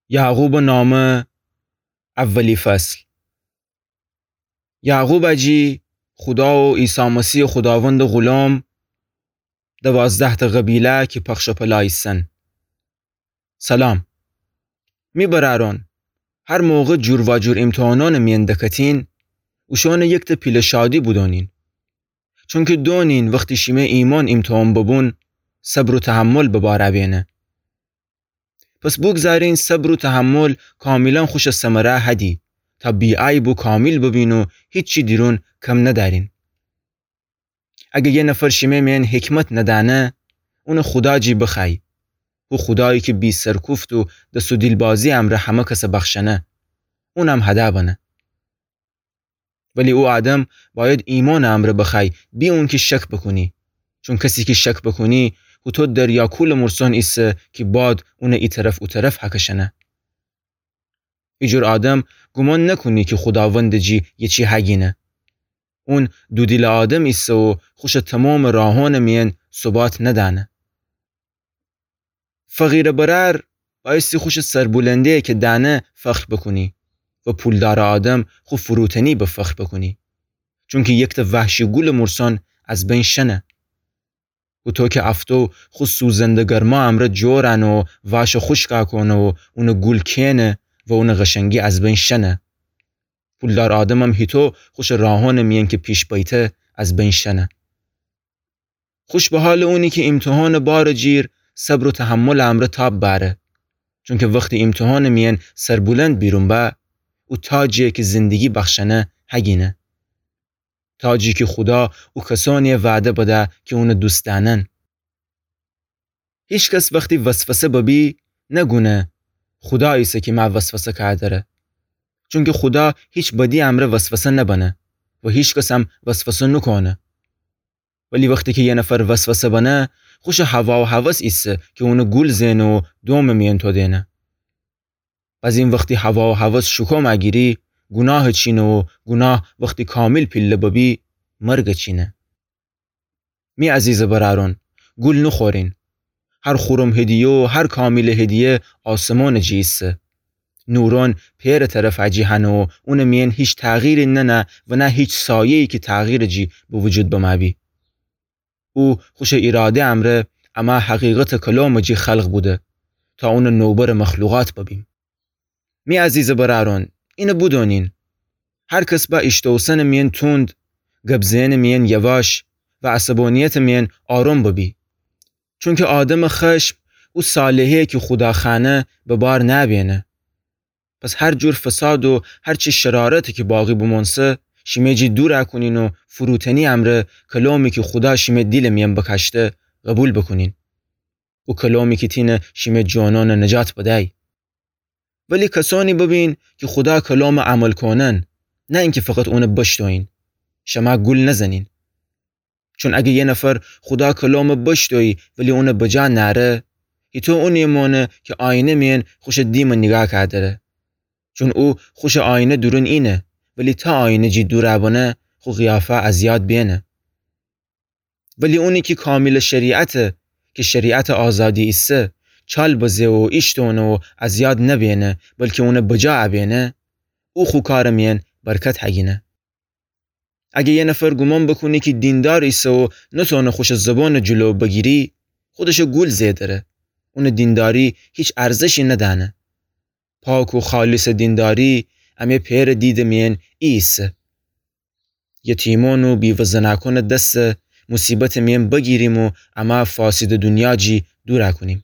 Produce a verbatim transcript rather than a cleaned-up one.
یعقوبٚ نامه، اولی فصل. یعقوب اجی خودا و عیسی مسیحٚ خوداوندٚ غلام، دوازده‌تأ قبیله کی پخش و پلا ایسن. سلام. می برأرأن، هر موقع جور واجور ایمتحانأنٚ میأن دکتین، اوشأنَ یکتأ پیله شادی بودونین. چونکی دونین وختی شیمه ایمأن ایمتحان ببون، صبر و تحمل به بار ابینه. پس بوگذارین صبر و تحمل کامیلاً خوشٚ ثمره هدی، تا بی‌عیب و کامیل ببین و هیچی دیرون کم ندأرین. اگه یه نفر شیمه میأن حکمت ندأنه، اونَ خودا جی بخوأی. هو خودایی کی بی‌سرکوفت و دس و دیلبازی امرأ همه کسَ بخشنه، اونم هده بنه. ولی او آدم بأید ایمأنٚ امرأ بخوأی، بی اونکی شک بوکونی. چون کسی کی شک بوکونی، هوطو دریا کولٚ مورسأن ایسه کی باد اونَ ای طرف او طرف هکشنه. ایجور آدم گومان نکونی کی خوداوندٚ جی یه چی هگینه. اون دودیلٚ آدم ایسه و خوشٚ تومامٚ راهأنٚ میأن ثبات ندأنه. فقیرٚ برأر بأیستی خوشٚ سربلندی کی دأنه فخر بوکونی و پولدارٚ آدم خو فروتنی به فخر بوکونی. چونکی یکتأ وحشی گولٚ مورسأن از بین شنه. هوطو کی افتو خو سوزنده گرما امرأ جؤرأنه و واشَ خوشکَ کونه و اونٚ گول کینه و اونٚ قشنگی از بین شنه، پولدار آدمم هیطو خوشٚ راهأنٚ میأن کی پیش بیته از بین شنه. خوش به حالٚ اونی کی ایمتحانٚ بارٚ جیر صبر و تحملٚ امرأ تاب بأره. چونکی وختی ایمتحانٚ میأن سربلند بیرون به، او تاجی کی زندگی بخشنه هگینه. تاجی کی خودا او کسأنی وعده بده کی اونَ دوست دأنن. هیچ کس وختی وسوسه ببی نگونه خودا ایسه کی مه وسوسه کأدره. چونکی خودا هیچ بدی امرأ وسوسه نبنه و هیچ کسم وسوسه نوکونه. ولی وختی کی یه نفر وسوسه بنه، خوشٚ هوا و هوس ایسه کی اونَ گول زئنه و دومٚ میأن تودینه. بزین وختی هوا و هوس شوکوم اگیری، گوناه چینه و گوناه وختی کامیل پیله ببی، مرگ چینه. می عزیزٚ برأرون، گول نوخورین. هر خورم هدیه و هر کامیلٚ هدیه آسمانٚ جی ایسه. نورأن پئرٚ طرف اجی هنه و اونٚ میأن هیچ تغییری ننه و نه هیچ سایه‌یی کی تغییرٚ جی به وجود بمه بی. او خوشٚ ایراده امرأ امه حقیقتٚ کلامٚ جی خلق بوده تا اونٚ نوبرٚ مخلوقات ببیم. می عزیزٚ برأرون، اینَ بودونین. هر کس به ایشتوسنٚ میأن توند، گب زئنٚ میأن یواش و عصبانیتٚ میأن آرام ببی. چونکی آدمٚ خشم او صالحی کی خودا خوأنه به بار نبینه. پس هر جور فساد و هر چی شرارتی کی باقی بومؤنسه، شیمه جی دور اکونین و فروتنی امرأ کلامی کی خودا شیمه دیلٚ میأن بکاشته قبول بوکونین. او کلامی کی تینه شیمه جانأنٚ نجات بدی. ولی کسأنی ببین کی خودا کلامٚ عمل کونن، نه اینکی فقط اونٚ بشتوین. شمه گول نزنین. چون اگه یه نفر خودا کلامٚ بشتویی ولی اونٚ بجا نأره، هیطو اونی مانه کی آینه میأن خوشٚ دیمٚ نیگاه کأدره. چون او خوشٚ آینه دورون اینه، ولی تا آینه جی دور بنه، خو قیافه از یاد بینه. ولی اونی کی کامیلٚ شریعته، کی شریعتٚ آزادی ایسه، چال بزه و ایشتونه و از یاد نبینه، بلکی اونٚ بجا ابینه، او خو کارٚ میأن برکت هگینه. اگه یه نفر گومان بوکونه کی دیندار ایسه و نتأنه خوشٚ زبانٚ جلو بگیری، خودشٚ گول زئدره. اونٚ دینداری هیچ ارزشی ندأنه. پاک و خالصٚ دینداری امه پئرٚ دیدٚ میأن ای ایسه. یتیمأن و بیوه زنأکأنٚ دسه موصیبتٚ میأن بگیریم و امه فاسدٚ دونیا جی دور اکونیم.